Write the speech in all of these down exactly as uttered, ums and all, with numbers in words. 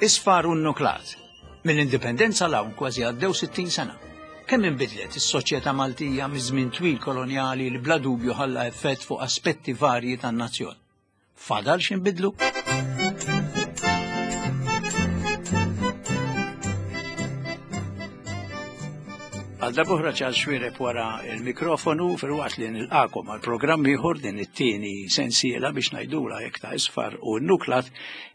Isfar u nuklat. Mill-indipendenza 'l hawn kważi għaddew sittin sena. Kemm inbidlet is-soċjetà Maltija miż-żmien twil kolonjali li bla dubju ħalla effett fuq aspetti varji tan-nazzjon. Fadal x'inbidlu? Għal darb'oħra Charles Xuereb wara il-mikrofonu filwaqt li nilqakom għal programm ieħor din it-tieni sensiela biex ngħidula hekk ta' isfar u n-nuklat,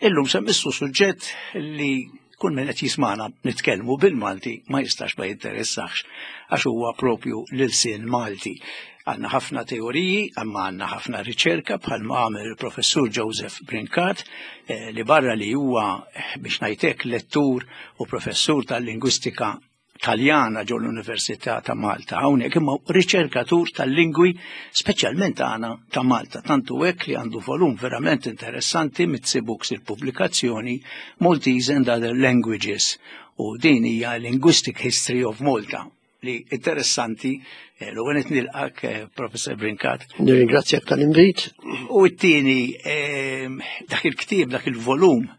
illum se mmissu suġġett li kull min qed jismana nitkellmu bil-Malti ma jistax ma jinteressax għax huwa propju l-ilsien Malti. Għandna ħafna teoriji, imma għandna ħafna riċerka bħalma għamel il-professur Joseph Brincat, eh, li barra li huwa biex ngħidlek lettur u professur tal-lingwistika Taljana ġo l-Università ta' Malta, hawnhekk imma riċerkatur tal-lingwi speċjalment għana ta' Malta, tantu hekk li għandu volum verament interessanti Mizzi Books il-pubblikazzjoni Maltese and Other Languages, u din hija Linguistic History of Malta li interessanti. eh, l għenet nilqak, eh, Professor Brincat. Nirringrazzjak tal-invit. U t-tieni, eh, dak il-ktieb, dak il-volum,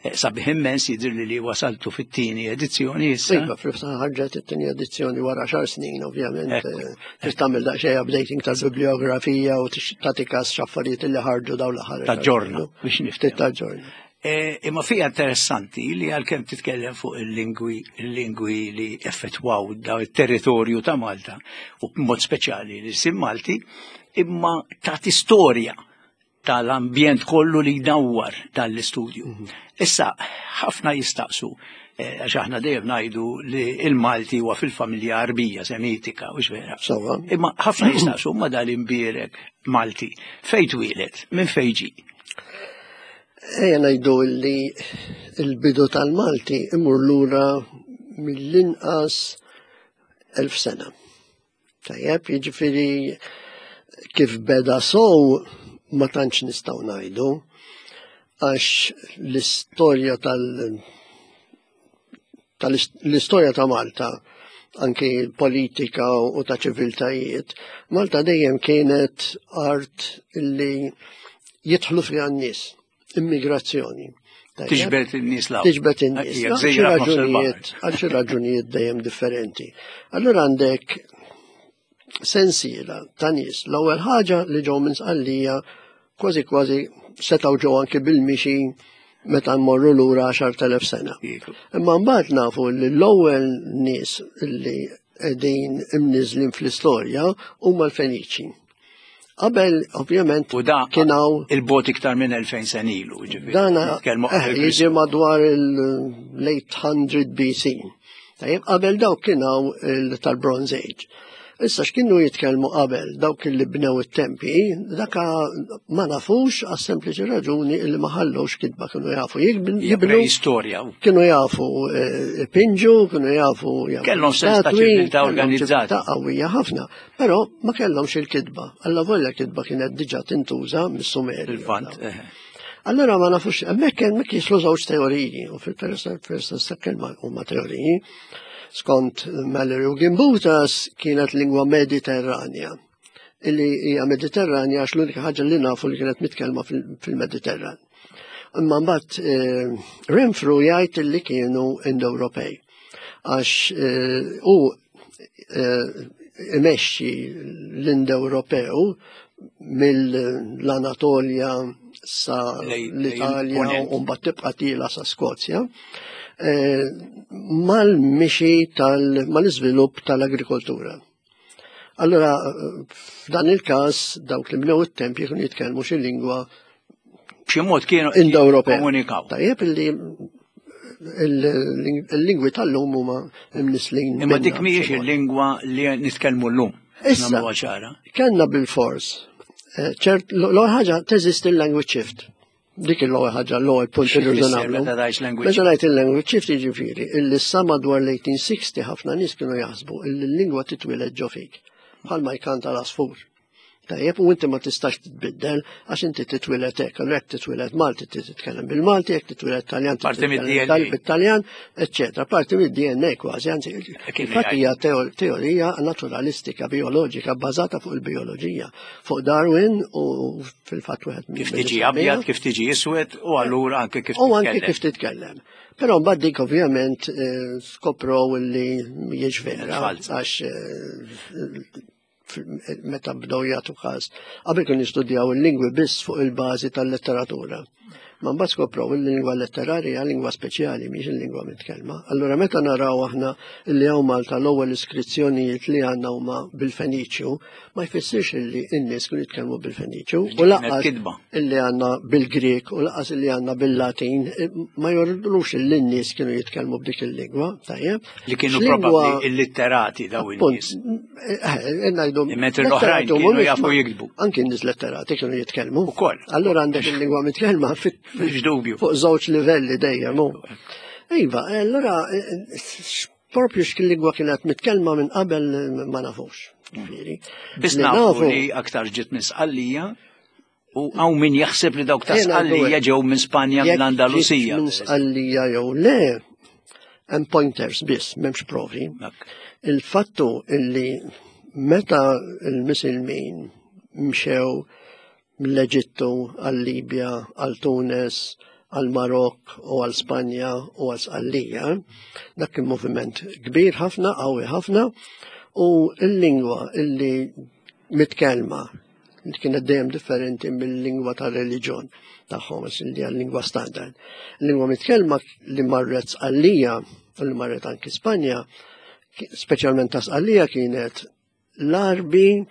sabiħ immens, jidher li li wasaltu fit-tieni edizzjoni issa. Iva, fil-fatt ħarġet it-tieni edizzjoni wara xar snin, ovvjament. Trid tagħmel daqsxejn updating tal-bibliografija u tagħti każ x'affarijiet li ħarġu dawn l-aħħar. Taġġorna biex niftit taġġorna. Imma fija interessanti li għalkemm titkellem fuq il-lingwi il-lingwi li effettwaw daw it-territorju ta' Malta u b'mod speċjali l-ilsien Malti, imma tagħti storja tal-ambjent kollu li jdawwar tal-istudju. Issa, ħafna jistaqsu, għax aħna dejjem ngħidu li il-Malti huwa fil-familja Arbija Semitika, u vera. Imma ħafna jistaqsu ma dal-imbierek Malti, fejn twieled, minn fejn ġie? Ejja ngħidu li l-bidu tal-Malti imur lura mill-inqas elf sena. Tajjeb, jiġifieri kif beda sow ma tantx nistgħu ngħidu, għax l-istorja tal tal-istorja ta' Malta, anki politika u ta' ċiviltajiet, Malta dejjem kienet art li jidħlu fiha n-nies, immigrazzjoni. Tiġbed in-nies law. Tiġbed in-nies. Raġunijiet, għal xi raġunijiet dejjem differenti. Allura għandek sensiela ta' nies. L-ewwel ħaġa li ġew minn Sqallija kważi kważi setgħu ġew anki bil-mixi meta mmorru lura għaxart elef sena. Imma mbagħad nafu li l-ewwel nies li qegħdin imniżlin fl-istorja huma l-Feniċi. Qabel, ovvjament, U da kien hawn il-bot iktar minn elfejn sen ilu, ġifieri. Dana Nitkellmu eh, qabel jiġi Kristu. madwar il-eight hundred B C. Tajjeb, qabel dawk kien hawn tal-Bronze Age. Issa x'kienu jitkellmu qabel dawk li bnew it-tempi, daka ma nafux għas sempliċi raġuni li ma ħallux kitba, kienu jafu jibnu. Hija preistorja. Kienu jafu, eh, ipinġu, kienu jafu jagħmlu Kellhom sens ta' statwi, ċiviltà kellhom organizzata. ċiviltà qawwija ħafna, però ma kellhomx il-kitba. Alla volja kitba kienet diġà tintuża mis-Sumeri. Il-Lvant, eh. Allora ma nafux, hemmhekk hemmhekk jislu żewġ teoriji, u fil-persa kelma huma teoriji. Skont Mallory u Gimbutas kienet lingwa mediterranja, illi hija mediterranja għax l-unika ħaġa li nafu li kienet mitkellma fil-, fil-Mediterran. Imma mbagħad, eh, Renfrew jgħid li kienu Indo-Ewropej, għax, eh, hu, eh, imexxi l-Indo-Ewropew mill-Anatolja sa Lej-, l-Italja lejn u mbagħad tibqa' tila sa Skozja, eh, mal-mixi tal-, mal-iżvilupp tal-agrikoltura. Allora, f'dan il-każ, dawk li bnew it-tempji kienu jitkellmu xi lingwa b'xi mod kienu Indo-Ewropea. komunikaw. Tajjeb illi il-, il-lingwi tal-lum huma imnislin Imma dik minna mhijiex b'xi mod. il-lingwa li nitkellmu llum. Issa, Nagħmluha ċara. kellna bil-fors. Eh, ċert, l-ewwel ħaġa teżisti il-language shift. Dik l-ewwel ħaġa, l-ewwel punt Xi li rridu tfisser nagħmlu. meta tgħid language Meta ngħid il-language shift jiġifieri illi sa madwar l-eighteen sixty ħafna nies kienu jaħsbu illi l-lingwa titwieled ġo fik, bħalma jkanta l-għasfur. Tajjeb, u inti ma tistax titbiddel għax inti titwieled hekk, allura jekk titwieled Malti titkellem bil-Malti, jekk titwieled Taljan titkellem bit-Taljan, eċċetera. Parti mid-D N A kważi, anzi, infatti hija teorija naturalistika, bioloġika, bbażata fuq il-bioloġija, fuq Darwin u fil-fatt wieħed Kif tiġi abjad, kif tiġi iswed u allura anke kif U anke kif titkellem. Però mbagħad dik ovvjament eh, skoprow li mhijiex vera għax eh, meta bdew jagħtu każ. Qabel kienu jistudjaw il-lingwi biss fuq il-bażi tal-letteratura. Ma mbagħad skoprow il-lingwa letterarja lingwa speċjali, mhix il-lingwa mitkellma. Allura meta naraw aħna li hawn Malta l-ewwel iskrizzjonijiet li għandna huma bil-Feniċju, ma jfissirx illi n-nies kienu jitkellmu bil-Feniċju. U lanqas illi għandna bil-Grek u lanqas illi għandna bil-Latin ma jurux illi n-nies kienu jitkellmu b'dik il-lingwa, tajjeb. Li kienu probabbli illitterati daw in-nies. Eh, ngħidu. Mentri l-oħrajn kienu jafu jiktbu. Anki n-nies letterati kienu jitkellmu. Ukoll. Allura għandek il-lingwa mitkellma dubju. Fuq żewġ livelli dejjem. Iva, allura propju x'kien kienet mitkellma minn qabel ma nafux. Biss nafu li aktar ġiet minn Sqallija u hawn min jaħseb li dawk ta' Sqallija ġew minn Spanja, minn Andalusija. Minn Sqallija jew le, hemm pointers biss, m'hemmx provi. Il-fattu illi meta il-Misilmin mxew mill-Eġittu għal-Libja, għal Tunis, għal Marok u għal Spanja u għal Sqallija, dak kien moviment kbir ħafna, qawwi ħafna, u l-lingwa illi mitkellma li kienet dejjem differenti mill-lingwa tar-reliġjon tagħhom, li lingwa standard. Lingwa mitkellma li marret Sqallija u li marret anki Spanja, speċjalment ta' Sqallija, kienet l-Arbi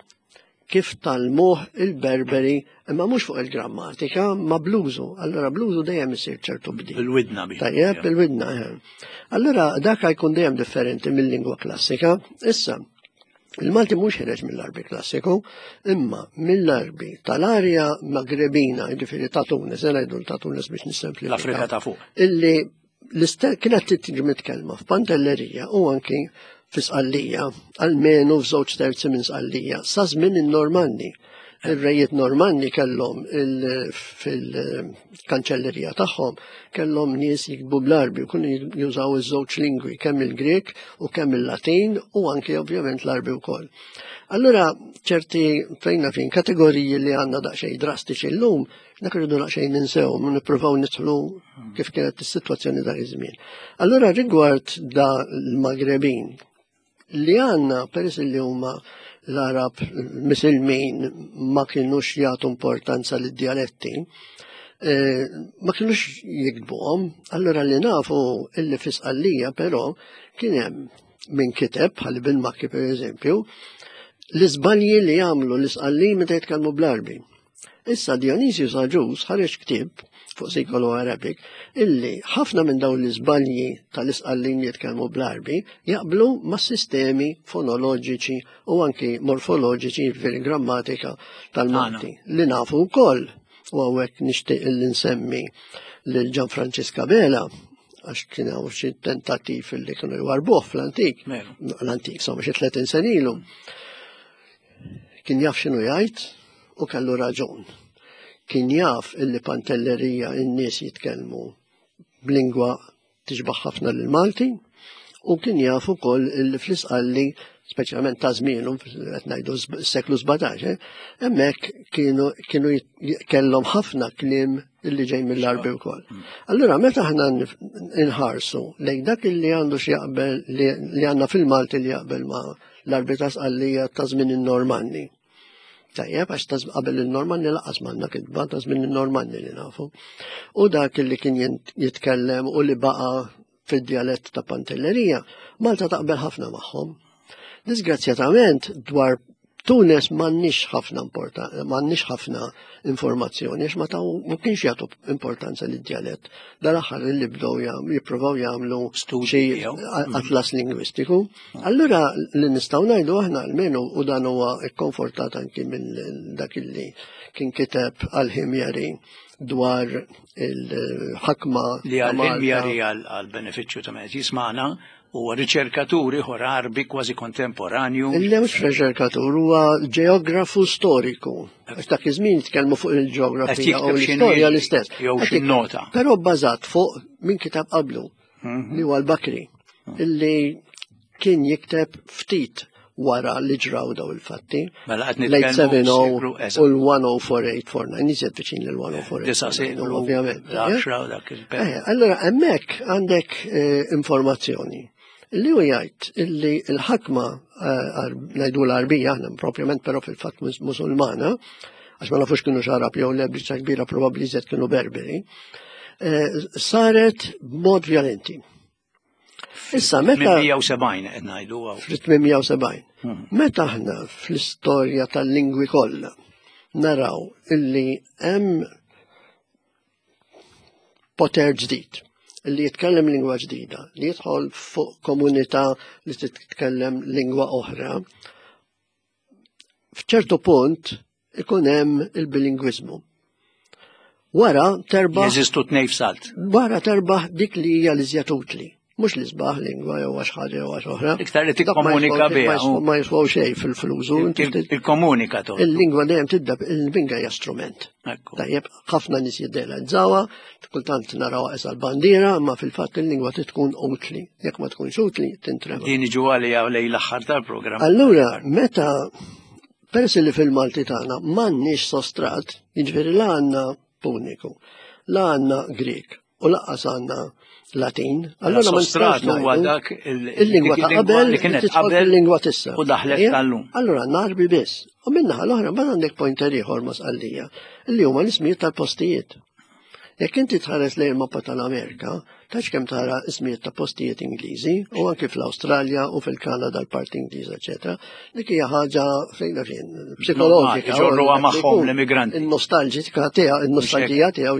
kif tgħallmuh il-Berberi, imma mhux fuq il-grammatika, ma bl-użu. Allora bl-użu dejjem isir ċertu bdil. Bil-widna bi. Tajjeb, bil-widna. Eh. Allora dak jkun dejjem differenti mill-lingwa klassika. Issa, il-Malti mhux ħireġ mill-Arbi klassiku, imma mill-Arbi tal-arja Magrebina, jiġifieri ta' Tunis, ngħidu ta' Tunis biex nissemplifika. L-Afrika ta' fuq. Illi kienet tiġi mitkellma f'Pantellerija u anki fi Sqallija, almenu f'żewġ terzi minn Sqallija, sa żmien in-Normanni. Ir-rejiet Normanni kellhom fil-kanċellerija tagħhom kellhom nies jiktbu bl-Arbi u kienu jużaw iż-żewġ lingwi, kemm il-Grek u kemm il-Latin u anke ovvjament l-Arbi wkoll. Allura ċerti fejna fin kategoriji li għandna daqsxejn drastiċi llum, dak irridu daqsxejn ninsew, nippruvaw nidħlu kif kienet is-sitwazzjoni dak iż-żmien. Allura rigward da l-Magrebin li għandna, peress li huma l-Arab Misilmin ma kienux jagħtu importanza lid dialetti, eh, ma kienux jiktbuhom, allura li nafu illi fi Sqallija però kien hemm min kiteb, bħal Ibn Makki per eżempju, l-iżbalji li jagħmlu l-Isqallin meta jitkellmu bl-Arbi. Issa Dionysius Agius ħareġ ktieb fuq Sikolo Arabic illi ħafna minn dawn l-iżbalji tal-Isqallin li jitkellmu bl-Arbi jaqblu ma' sistemi fonoloġiċi u anki morfoloġiċi fil-grammatika tal-Malti li nafu wkoll. U hawnhekk nixtieq illi nsemmi lil Gianfrancesca Bela, għax kien hawn xi tentattiv li kienu jwarbuh fl-antik. L-antik, insomma, xi tletin sena ilu. Kien jaf x'inhu jgħid u kellu raġun. Kien jaf illi Pantellerija n-nies jitkellmu b'lingwa tixbaħ ħafna lill-Malti u kien jaf ukoll illi fl-Isqalli, speċjalment ta' żmienu, qed ngħidu s-seklu sbatax, eh, hemmhekk kienu kienu kellhom ħafna kliem illi ġej mill-Arbi wkoll. Allura meta aħna nħarsu lejn dak illi għandu x'jaqbel li għandna fil-Malti li jaqbel ma' l-Arbi ta' Sqallija ta' żmien in-Normanni. Tajjeb, għax ta' qabel il-Normanni lanqas m'għandna kitba, ta' żmien in-Normanni li nafu. U dak li kien jitkellem u li baqa' fid-dialett ta' Pantellerija, Malta taqbel ħafna magħhom. Disgrazzjatament dwar Tunes m'għandniex ħafna m'għandniex ħafna informazzjoni, għax ma taw ma kienx jagħtu importanza lid-dialett. Dal-aħħar li bdew jippruvaw jagħmlu xi atlas lingwistiku. Allura li nistgħu ngħidu aħna almenu, u dan huwa kkonfortat anki minn dak li kien kiteb għal-Ħimjari dwar il-ħakma li għal-Ħimjari, għal-benefiċċju ta' meta jisma'na, Huwa riċerkatur ieħor Għarbi kważi kontemporanju. Le mhux riċerkatur, huwa ġeografu storiku. Għax dak iż-żmien jitkellmu fuq il-ġeografija u l-istorja l-istess. Jew xi nota. Però bbażat fuq min kitab qablu, li huwa l-Bakri, illi kien jikteb ftit wara li ġraw daw il-fatti. Mela qed Late nitkellmu seventy u l-ten oh four eight four nine, iżjed viċin lil Disa' seklu, ovvjament. l-għaxra u dak il-periodu. Eh, allora, hemmhekk għandek eh, informazzjoni li hu jgħid illi l-ħakma eh, ngħidu l-Arbija, aħna propjament però fil-fatt musulmana, għax ma nafux kienu Għarab jew le, biċċa kbira probabbli iżjed kienu Berberi, eh, saret b'mod violenti. Issa meta tmienmija u sebgħin qed ngħidu hawn. fl-tmienmija u sebgħin. Hmm. Meta aħna fl-istorja tal-lingwi kollha naraw illi hemm poter ġdid li jitkellem lingwa ġdida, li jidħol fuq komunità li titkellem lingwa oħra, f'ċertu punt ikun hemm il-bilingwiżmu. Wara terbaħ Jeżistu tnejn f'salt. Wara terbaħ dik li hija l-iżjed utli. Mhux li sbaħ lingwa jew għax ħaġa jew għax oħra. Iktar li Dak ma tikkomunika jiswaw- biha. ma jiswaw- Ma jiswaw xejn fil-flużu. Il-komunika to. Il-lingwa dejjem tidda, il-lingwa hija strument. Ekku. Tajjeb, ħafna nies jiddealizzawa, kultant narawha qisha l-bandiera, imma fil-fatt il-lingwa trid tkun utli. Jekk ma tkunx utli, tintrema. Din iġu għalija lejn l-aħħar tal-programm. Allura, meta peress li fil-Malti tagħna m'għandniex sostrat, jiġifieri la għandna Puniku, la għandna Grek u lanqas għandna Latin, allura ma Sostrat nistax huwa ngħidu dak il- il-lingwa dik ta' il-lingwa qabel li kienet tidħol qabel fil-lingwa t'issa. u daħlet Ejja? tal-lum. Allura Għarbi biss. U min-naħa l-oħra mbagħad għandek pointer ieħor ma' Sqallija, li huma l-ismijiet tal-postijiet. Jekk inti tħares lejn il-mappa tal-Amerika, tax kemm tara ismijiet ta' postijiet Ingliżi, u anki fl-Awstralja u fil-Kanada l-parti Ingliża, eċetera. Dik hija ħaġa fejn fejn psikologika. Iġorruha magħhom l-immigranti. Il-nostalġika tiegħu, il-nostalġija tiegħu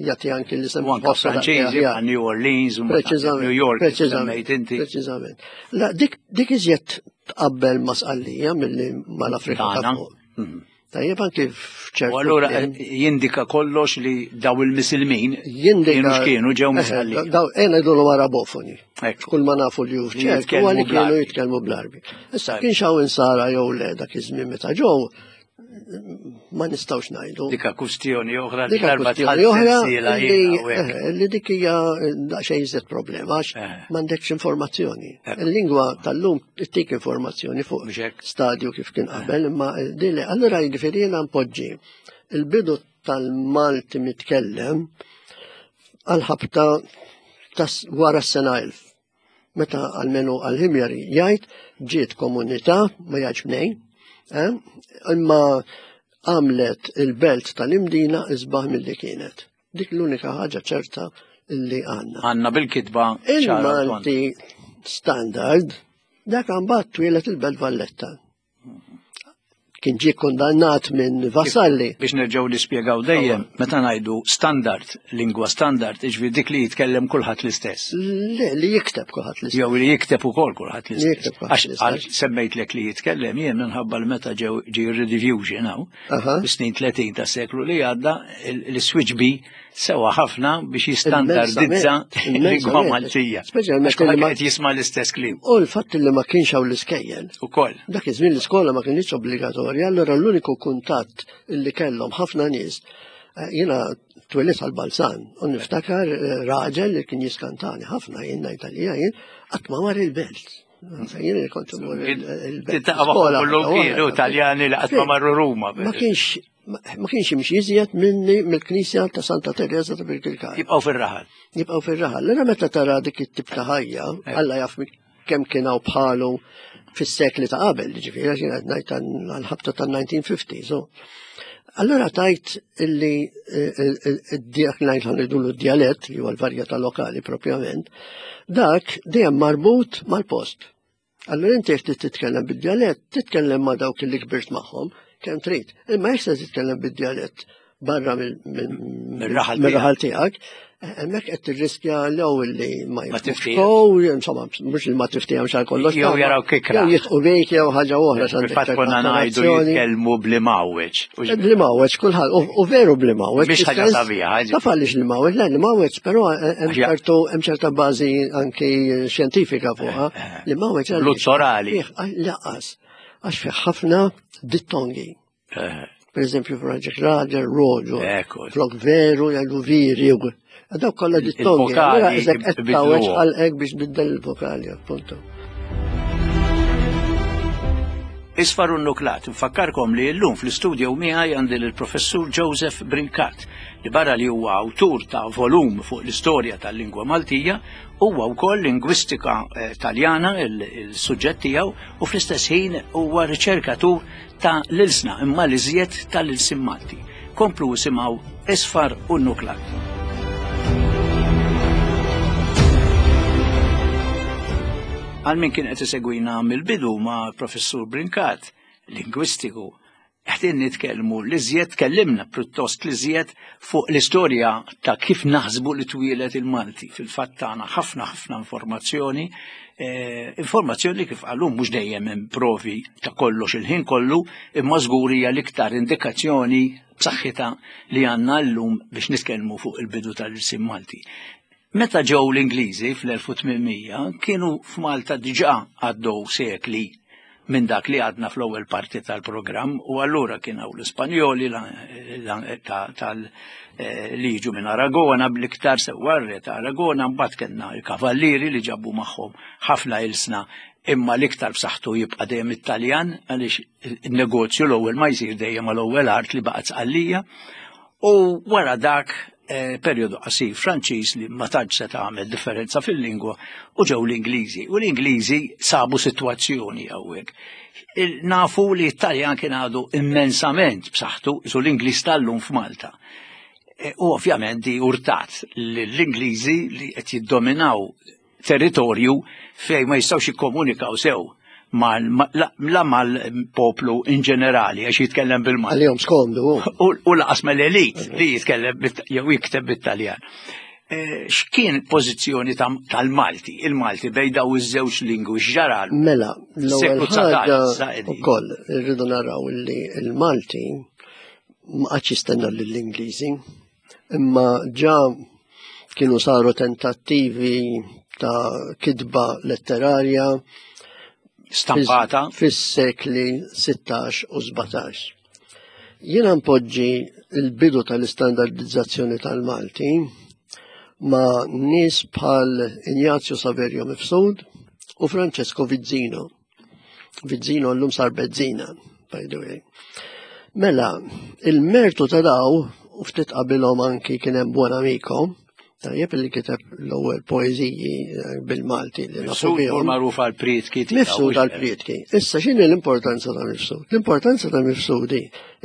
jagħti anki l-isem U anke Franċiżi bħal New Orleans u Preċiżament. New York Preċiżament. semmejt inti. Preċiżament. La, dik, dik iżjed tqabbel ma' Sqallija milli mal-Afrika ta' Tagħna. fuq. Mhm. Tajjeb, anki f'ċertu U allura kliem. jindika kollox li daw il-misilmin Jindika kienu x'kienu ġew Eh, Misqallija. Daw ejna jgħidulu Arabofoni. Ekku. Kull ma nafu li hu Li f'ċert jitkellmu huwa li kienu bl-Għarbi. jitkellmu bl-Għarbi. Issa Tajb. kien xaw insara jew le dak iż-żmien meta ġew, ma nistgħux ngħidu. Dika kustjoni oħra li Dika darba kwestjoni oħra sensiela li jiena u hekk. eh, li dik hija daqsxejn iżjed problema għax Eh. m'għandekx informazzjoni. Ekku. Il-lingwa tal-lum ittik informazzjoni fuq Mhux hekk? stadju kif kien qabel, imma dili allura jiġifieri jiena npoġġi il-bidu tal-Malti mitkellem għal-ħabta tas wara s-sena elf. Meta għalmenu għal-Ħimjari jgħid ġiet komunità, ma jgħidx mnejn, eh, imma għamlet il-belt tal-Imdina isbaħ mill-li kienet. Dik l-unika ħaġa ċerta illi għandna. Għandna bil-kitba ċara u tonda. Il-Malti standard, dak mbagħad twieled il-Belt Valletta. Kien ġie kondannat minn Vassalli. Biex nerġgħu nispjegaw dejjem, meta ngħidu standard, lingwa standard, iġifieri dik li jitkellem kulħadd l-istess. Le, li jikteb kulħadd l-istess. Jew li jikteb ukoll kulħadd Li l-istess. jikteb kulħadd Għax l-istess. għal semmejtlek li jitkellem jien minħabba l meta ġew ġie rediffusion hawn, Aha. fis-snin tletin tas seklu li għadda, l-switch B sewa ħafna biex jistandardizza il-lingwa Immensament. Maltija. Speċjalment Għax kulħadd li ma- qed jisma' l-istess kliem. U l-fatt li ma kienx hawn l-iskejjel. Ukoll. Dak iż-żmien l-iskola ma kienx obbligatorja, allura l-uniku kuntatt li kellhom ħafna nies, eh, jiena twelidt Ħal Balzan u niftakar eh, raġel li kien jiskantani ħafna, jien ngħid għalija jien qatt ma mar il-belt. Jien li kont imur il- il-belt. Tiltaqa' magħhom Skola kullum ħaġa kienu waħda. Taljani li qatt ma marru Ruma. Ma kienx ma ma kienx jimxi iżjed minni mill-Knisja ta' Santa Teresa ta' Birkirkara. Jibqgħu fir-raħal. Jibqgħu fir-raħal. Allura meta tara dik it-tip ta' ħajja, Alla jaf kemm kien hawn bħalu fis-sekli ta' qabel, ġifieri għax jien qed ngħid għall-ħabta tan-nineteen fifty. So. Allura tajt illi dak ngħid ħa ngħidulu d-djalett, li huwa l-varjetà lokali propjament, dak dejjem marbut mal-post. Allura inti jekk trid titkellem bid-djalett, titkellem ma' dawk li kbirt magħhom kemm trid. Imma jekk se titkellem bid-djalett barra Mir-raħal mill-raħal tiegħek, Hemmhekk qed tirriskja l-ewwel li ma jiftifkow, insomma, mhux li ma tiftihomx għal kollox. Jew jaraw kikra. Jew jitqu bejk jew ħaġa oħra. Fil-fatt konna ngħidu jitkellmu bl-imgħawweġ. Bl-imgħawweġ kulħadd, u veru bl-imgħawweġ. Mhix ħaġa sabiħa. Taf għaliex l-imgħawweġ, le l-imgħawweġ, però hemm ċerta bażi anki xjentifika fuqha. L-imgħawweġ. L-uzzorali. Laqas, għax fih ħafna dittongi. Per eżempju, Franġek Raġel, Roġo, flok veru, jgħidu viri. Dawk kollha dittongi. Allura iżek qed tawweġ ħalqek biex biddel il-vokali, appunto. Isfar u Nuklat, nfakkarkom li llum fl-istudio miegħi għandi lill-Professur Joseph Brincat, li barra li huwa awtur ta' volum fuq l-istorja tal-lingwa Maltija, huwa wkoll lingwistika Taljana il-suġġett tiegħu u fl-istess ħin huwa riċerkatur ta' l-ilsna imma l-iżjed tal-ilsien Malti. Komplu isimgħu Isfar u Nuklat. Għal min kien qed isegwina mill-bidu ma' Professur Brincat, lingwistiku, qegħdin nitkellmu l-iżjed, tkellimna pjuttost l-iżjed fuq l-istorja ta' kif naħsbu li twieled il-Malti. Fil-fatt tagħna ħafna ħafna informazzjoni, informazzjoni kif qalu mhux dejjem hemm provi ta' kollox il-ħin kollu, imma żgur hija l-iktar indikazzjoni b'saħħitha li għandna llum biex nitkellmu fuq il-bidu tal-ilsien Malti. Meta ġew l-Ingliżi fl-elf u tmien mija kienu f'Malta diġà għaddew sekli minn dak li għadna fl-ewwel parti tal-programm u allura kien hawn l-Ispanjoli li jiġu minn Aragona bl-iktar sewwa r-re ta' Aragona, mbagħad kellna l-kavallieri li ġabu magħhom ħafna ilsna, imma l-iktar b'saħħtu jibqa' dejjem it-Taljan għaliex in-negozju l-ewwel ma jsir dejjem mal-ewwel art li baqgħet Sqallija. U wara dak periodu qasir Franċiż li ma tantx se tagħmel differenza fil-lingwa u ġew l-Ingliżi. U l-Ingliżi sabu sitwazzjoni hawnhekk. Nafu li t-Taljan kien għadu immensament b'saħħtu isu l-Ingliż tal-lum f'Malta. U ovvjament di urtat l-Ingliżi li qed jiddominaw territorju fejn ma jistgħux jikkomunikaw sew la mal-poplu in ġenerali għax jitkellem bil-Malti. Għalihom skomdu. U laqas mal-elit li jitkellem jew jikteb bit-Taljan. X'kien pożizzjoni tal-Malti, il-Malti bejn daw iż-żewġ lingwi x'ġara? Mela, l-ewwel ħaġa ukoll irridu naraw li l-Malti ma qatx jistenna lill-Ingliżi, imma ġa kienu saru tentattivi ta' kitba letterarja stampata fis-sekli sittax u sbatax. Jiena npoġġi l-bidu tal-istandardizzazzjoni tal-Malti ma' nies bħal Ignazio Saverio Mifsud u Francesco Vizzino. Vizzino llum sar Bezzina, by the way. Mela, il-mertu ta' daw, u ftit qabilhom anki kien hemm Buonamico, tajjeb li kiteb l-ewwel poeżiji bil-Malti li nafu bihom. Mifsud magħruf għall-prietki. Mifsud għall-prietki. Issa x'inhi l-importanza ta' Mifsud? L-importanza ta' Mifsud hi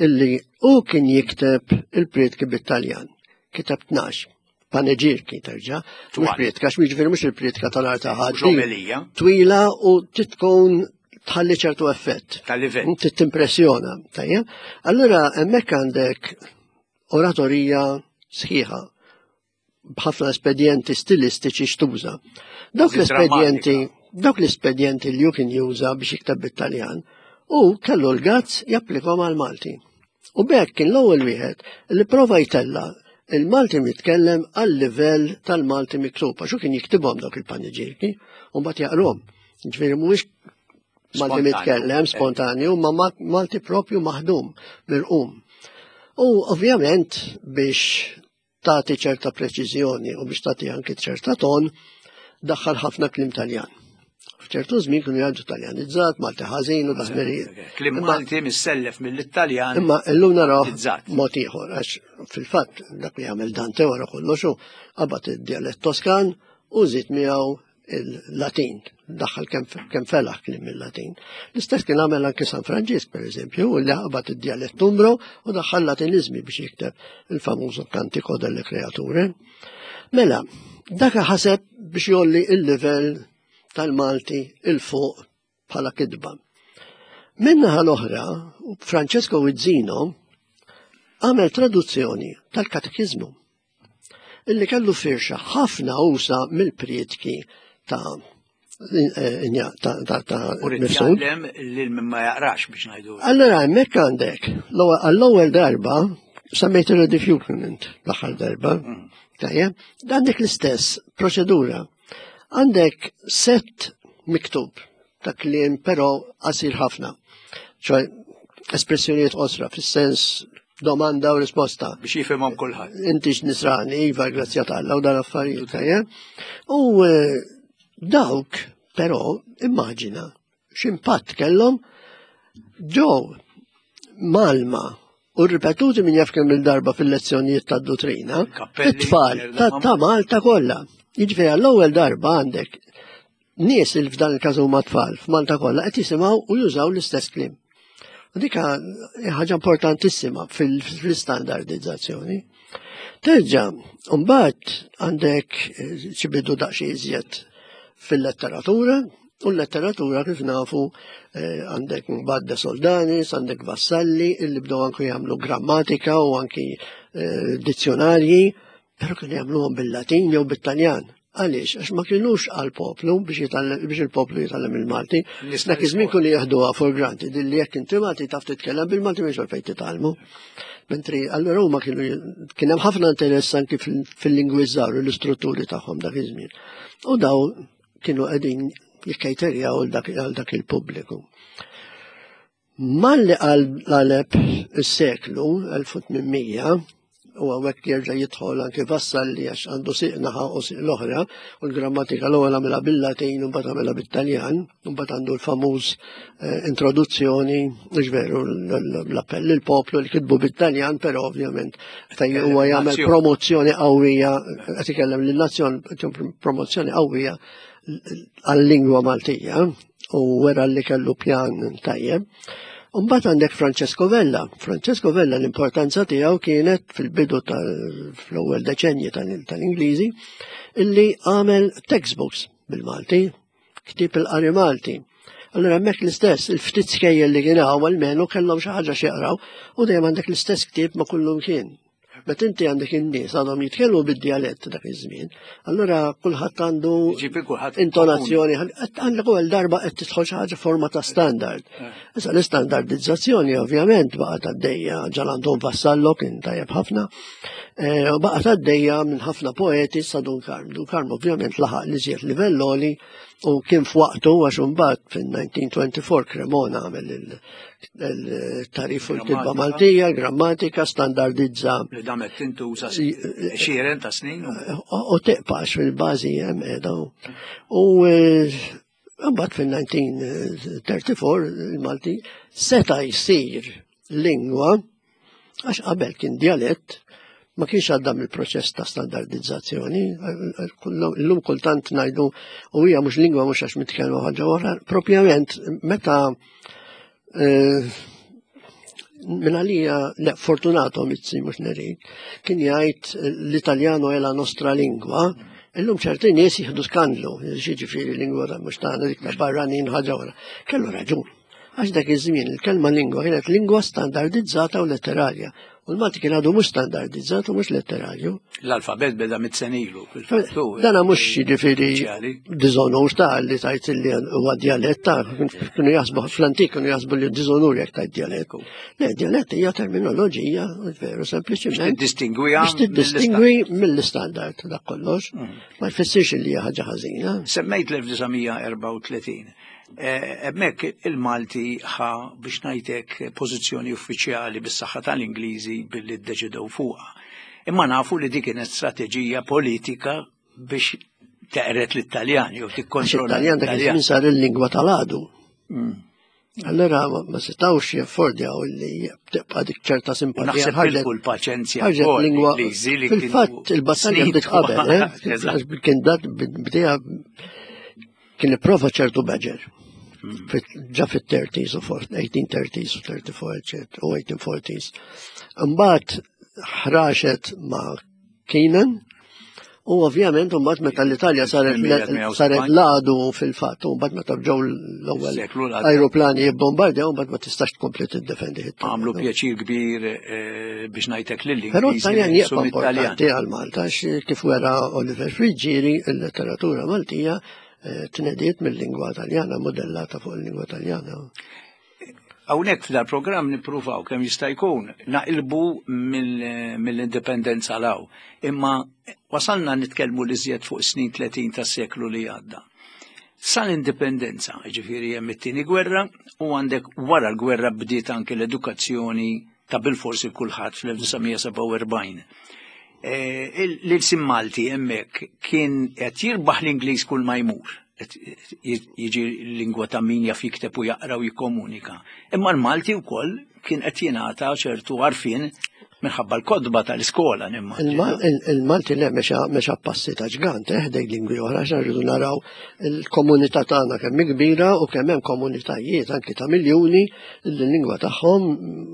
illi hu kien jikteb il-prietki bit-Taljan. Kiteb tnax. Paneġirki terġa', mhux prietka, għax jiġifieri mhux il-prietka tal-art ta' ħadd. Twila u titkun tħalli ċertu effett. Tal-livell. Timpressjona, tajjeb. Allura hemmhekk għandek oratorija sħiħa b'ħafna espedjenti stilistiċi xtuża. Dawk l-espedjenti, dawk l-espedjenti li ju kien juża biex jikteb bit-Taljan u kellu l-gazz japplikhom għal-Malti. U b'hekk kien l-ewwel wieħed li prova jtella il-Malti mitkellem għal livell tal-Malti miktub, għax hu kien jiktibhom dawk il-paneġirki u mbagħad jaqrhom. Ġifieri mhuwiex Malti mitkellem spontanju, ma Malti propju maħdum mirqum. U ovvjament biex tagħti ċerta preċiżjoni u biex tagħti anki ċerta ton, daħħal ħafna kliem Taljan. F'ċertu żmien kienu jgħidu Taljanizzat, Malti ħażin u dażmerijiet. Kliem Malti missellef mill-Italjan. Imma llum naraw mod ieħor għax fil-fatt dak li jagħmel Dante wara kollox hu qabad id-djalett Toskan u żied miegħu il-Latin, daħħal kemm felaħ kliem il-Latin. L-istess kien għamel anke San Franġisk, per eżempju, li qabad id-djalett Umbro u daħħal Latinizmi biex jikteb il-famużu Cantico delle Creature. Mela, dak ħaseb biex jolli il-livell tal-Malti il-fuq bħala kitba. Minnaħa l-oħra, Francesco Vizzino għamel traduzzjoni tal-Katekizmu. illi kellu firxa ħafna usa mill-prietki ta' ta' ta' ta' U rrid Mifsud. jgħallem lil min ma jaqrax biex ngħidu. Allora hemmhekk għandek għall-ewwel darba semmejt il-rediffusion l-aħħar darba. Tajjeb, għandek l-istess proċedura. Għandek set miktub ta' kliem però qasir ħafna. ċoj espressjonijiet qosra fis-sens domanda u risposta. Biex jifhimhom kulħadd. Inti nisrani, iva, grazzja t'Alla u dan affarijiet, tajjeb. U eh, dawk, però, immaġina, x'impatt kellhom ġew mgħallma u ripetuti minn jaf kemm il-darba fil-lezzjonijiet tad-dottrina, Kappelli, it-tfal ta' ta' Malta kollha. Jiġifieri għall-ewwel darba għandek nies li f'dan il-każ huma tfal f'Malta kollha qed jisimgħu u jużaw l-istess kliem. U dik ħaġa importantissima fil-standardizzazzjoni. Terġa', mbagħad għandek eh, xi bidu daqsxejn iżjed fil-letteratura, u l-letteratura kif nafu eh, għandek mbagħad De Soldanis, għandek Vassalli, illi bdew anki jagħmlu grammatika u anki eh, dizzjonarji, però kienu jagħmluhom bil-Latin jew bit-Taljan. Għaliex? Għax ma kienux għal-poplu biex jitgħallem- biex il-poplu jitgħallem il-Malti. Nies Dak iż-żmien kienu jaħduha for granted, illi jekk inti Malti taf titkellem bil-Malti mhux għalfejn titgħallmu. Mentri allura huma kienu kien hemm ħafna interess anki fil- fil-lingwi żgħar u l-istrutturi tagħhom dak iż-żmien. U daw kienu qegħdin jikkejterjaw għal dak għal dak il-pubbliku. Malli qaleb is-seklu elf u tmien mija, u hawnhekk jerġa' jidħol anke Vassalli għax għandu siq naħa u siq l-oħra, u l-grammatika l-ewwel għamilha bil-Latin u mbagħad għamilha bit-Taljan, u mbagħad għandu l-famuż eh, introduzzjoni, mhux veru, l-appell lill-poplu li kitbu bit-Taljan, però ovvjament fejn huwa jagħmel Nazzjon. promozzjoni qawwija, qed ikellem lin-nazzjon, promozzjoni qawwija għal-lingwa Maltija u wera li kellu pjan tajjeb. Mbagħad għandek Francesco Vella. Francesco Vella l-importanza tiegħu kienet fil-bidu tal-ewwel deċenji tal-Ingliżi illi għamel textbooks bil-Malti, ktieb il-qari Malti. Allora hemmhekk l-istess, il-ftit skejjel li kien hawn almenu kellhom xi ħaġa x'jaqraw u dejjem għandek l-istess ktieb ma' kullum kien. Meta inti għandek in-nies għadhom jitkellmu bid-djalett dak iż-żmien, allura kulħadd għandu Ġifi kulħadd intonazzjoni, għandek ewwel darba qed tidħol xi ħaġa forma ta' standard. Issa l-istandardizzazzjoni ovvjament baqgħet għaddejja Gian Anton Vassallo kien tajjeb ħafna, eh, u baqgħet għaddejja minn ħafna poeti sa Dun Karm. Dun Karm ovvjament laħaq li żjed livell għoli u kien f'waqtu għax imbagħad fin-elf disa' mija u erbgħa u għoxrin Cremona għamel il-tagħrif u l-kitba Grammatika. Maltija, grammatika, standardizza Li damet tintuża għexieren ta' snin. u- u tibqax fil-bażi hemm qiegħda. U eh, mbagħad fil-elf disa' mija u erbgħa u tletin il-Malti seta' jsir lingwa għax qabel kien djalett, ma kienx għadda mill-proċess ta' standardizzazzjoni. Illum kultant ngħidu u hija mhux lingwa mhux għax mitkellmu ħaġa oħra. Propjament meta eh, minn għalija, le, Fortunato Mizzi mhux Nerik, kien jgħid "l-Italjano è la nostra lingua", illum ċerti nies jieħdu skandlu, jiġifieri lingwa ta' mhux tagħna, dik ta' barranin, ħaġa oħra. Kellu raġun. Għax dak iż-żmien il-kelma lingwa kienet lingwa standardizzata u letterarja. U l-Malti kien għadu mhux standardizzat u mhux letterarju. L-alfabet beda mitt sena ilu. Fil-fattu. Dana mhux jiġifieri uffiċjali. Diżonur ta' li tajt li huwa djalett ta' kienu jaħsbu fl-antik kienu jaħsbu li diżonur jekk tajt djalett. Le, djalett hija terminoloġija, veru, sempliċiment. Tiddistingwiha Biex tiddistingwi mill-istandard, dak kollox. Ma jfissirx li hija ħaġa ħażina. Semmejt l-elf disa' mija u erbgħa u tletin. Eh, Hemmhekk il-Malti ħa biex ngħidlek pożizzjoni uffiċjali bis-saħħa tal-Ingliżi billi ddeċidew fuqha. Imma nafu li dik kienet strateġija politika biex teqret l-Italjani u Għax tikkontrolla it-Taljan dak l-Italjan. iż-żmien sar il-lingwa tal-għadu. Mm. Allora ma ma setawx jaffordjaw li tibqa' dik ċerta simpatija. Naħseb Ħarġet tilfu l-paċenzja ħarġet wkoll lingwa l-Ingliżi li fil-fatt kienu il-battalja snin bdiet qabel, eh? Eżatt. Għax kien dat bdejha kien ipprova ċertu Badger. Fit- Ġa fit-thirties u eighteen thirties u thirty-four, eccetera, u eighteen forties. Imbagħad ħraxet ma' Keenan. U ovvjament mbagħad meta l-Italja saret saret l-għadu fil-fatt, u mbagħad meta ġew l-ewwel ajruplani jibbombardjaw, mbagħad ma tistax tkompli tiddefendi. Għamlu pjaċir kbir biex ngħidlek lil Però t-Taljan jibqa' importanti għal Malta, kif wera Oliver Friggieri, il-letteratura Maltija tnediet mill-lingwa Taljana, modellata fuq il-lingwa Taljana. Hawnhekk f'dal-programm nippruvaw kemm jista' jkun naqilbu mill-indipendenza law. Imma wasalna nitkellmu li żjed fuq snin tletin tas-seklu li għadda. Sal-indipendenza, jiġifieri hemm it-tieni gwerra u għandek wara l-gwerra bdiet anke l-edukazzjoni ta' bilforsi kulħadd fl-elf disa' mija sebgħa u erbgħin. L-ilsien Malti hemmhekk kien qed jirbaħ l-Ingliż kull ma jmur. Jiġi lingwa ta' min jaf jikteb u jaqra u jikkomunika. Imma l-Malti wkoll kien qed jingħata ċertu għarfien minħabba l-kodba tal-iskola nimmaġina. Il-Malti le mexa passi ta' ġgant, eh, ħdej lingwi oħra, għax rridu naraw il-komunità tagħna kemm hi kbira u kemm hemm komunitajiet anki ta' miljuni li l-lingwa tagħhom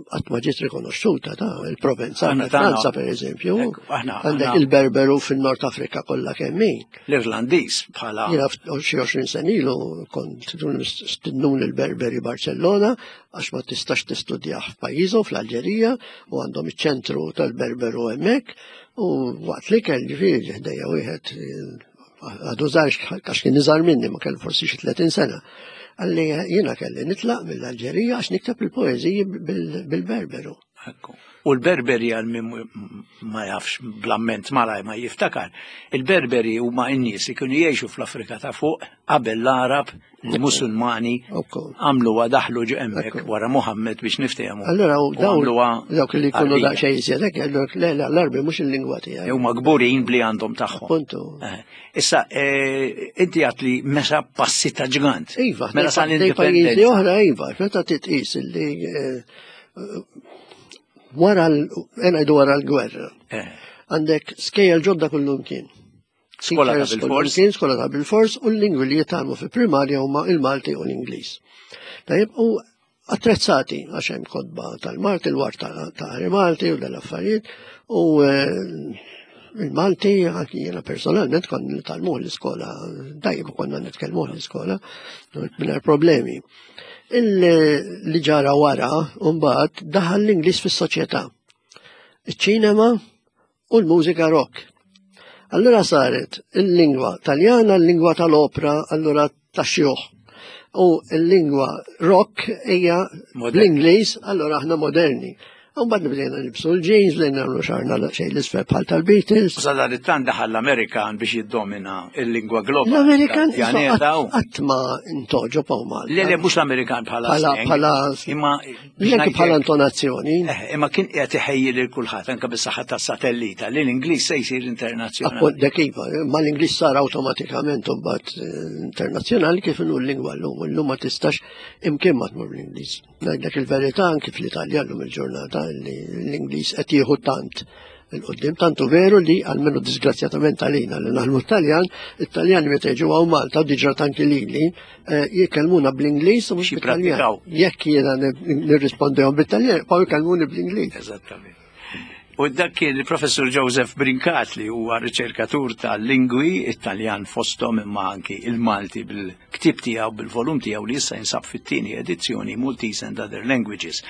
qatt ma ġiet rikonoxxuta ta' il-Provenza, Franza pereżempju. Għandek il-Berberu fin-Nord Afrika kollha kemm hi. L-Irlandiż bħala. Jiena xi għoxrin sena ilu kont stidnun il-Berberi Barcellona għax ma tistax tistudjah f'pajjiżhom fl-Alġerija u għandhom iċ-ċentru tal-Berberu hemmhekk u waqt li kell ġifieri ħdejja wieħed għadu żgħar għax kien iżgħar minni ma kellu forsi xi tletin sena. Qalli jiena kelli nitlaq mill-Alġerija għax nikteb il-poeżiji bil-Berberu. U l-Berberi għal min ma jafx bl-amment malaj ma jiftakar, il-Berberi huma n-nies li kienu jgħixu fl-Afrika ta' fuq qabel l-Arab, l-Musulmani għamluha daħlu ġo hemmhekk wara Muhammad biex niftehmu. Allura dawk li jkunu daqsxejn iżjed hekk jgħidulek le le l-Arbi mhux il-lingwa tiegħi. Huma kburin bli għandhom tagħhom. Appuntu. Issa inti għat li meta passi ta' ġgant. Iva, mela pajjiżi oħra iva, meta titqis illi wara l-ngħidu wara l-gwerra. Għandek skejjel ġodda kullum kien. Skola ta' bil-fors. Kien skola ta' bil-fors u l-lingwi li jitgħallmu fi primarja huma il-Malti u l-Ingliż. Tajjeb, u attrezzati għax hemm kotba tal-Malti, il-war ta' Malti u dal-affarijiet u il-Malti anki jiena personalment konna nitgħallmuh l-iskola, tajjeb konna nitkellmuh l-iskola mingħajr problemi. Li ġara wara mbagħad daħal l-Ingliż fis-soċjetà. Iċ-ċinema u l-mużika rock. Allura saret il-lingwa Taljana, l-lingwa tal-opra, allura tax-xjuħ. U l-lingwa rock hija l-Ingliż, allura aħna moderni. U mbagħad bdejna nilbsu l-jeans, bdejna nagħmlu xagħarna xejn l-isfel bħal tal-Beatles. U sadanittant daħal l-Amerikan biex jiddomina l-lingwa globali. L-Amerikan qatt ma intoġob hawn Malta. Le, le, mhux l-Amerikan bħala bħala imma anke bħala intonazzjoni. Imma kien qiegħed iħejji lil kulħadd anke bis-saħħa tas-satellita li l-Ingliż se jsir internazzjonali. Appunt dak iva, ma l-Ingliż sar awtomatikament imbagħad internazzjonali kif inhu l-lingwa llum. Illum ma tistax imkien ma tmur bl-Ingliż. Ngħidlek il-verità anke fl-Italja llum il-ġurnata li l-Ingliż qed jieħu tant il-qudiem, tantu veru li almenu disgrazzjatament għalina li naħdmu Taljan, it-Taljani meta jiġu hawn Malta u diġà tanki lili jitkellmuna bl-Ingliż u mhux bit-Taljan. Jekk jiena nirrispondihom bit-Taljan, jibqgħu jkellmuni bl-Ingliż. Eżattament. U dak kien il-professur Joseph Brincat li huwa riċerkatur tal-lingwi Italjan fosthom imma anki il-Malti bil-ktib tiegħu bil-volum tiegħu li issa jinsab fit-tieni edizzjoni Maltese and Other Languages.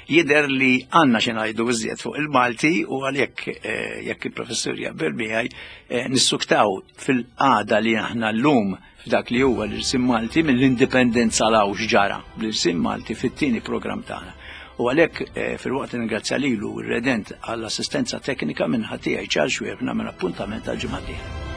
Jidher li għandna xi ngħidu iżjed fuq il-Malti u għalhekk jekk il-professur jaqbel miegħi nissuktaw fil-qagħda li aħna llum f'dak li huwa l-irsim Malti mill-indipendenza law x'ġara bl-irsim Malti fit-tieni programm tagħna. U għalhekk fil-waqt ningrazzja lilu r-redent għall-assistenza teknika minn ħatija Charles Xuereb nagħmel appuntament għal ġimgħa d-dieħla.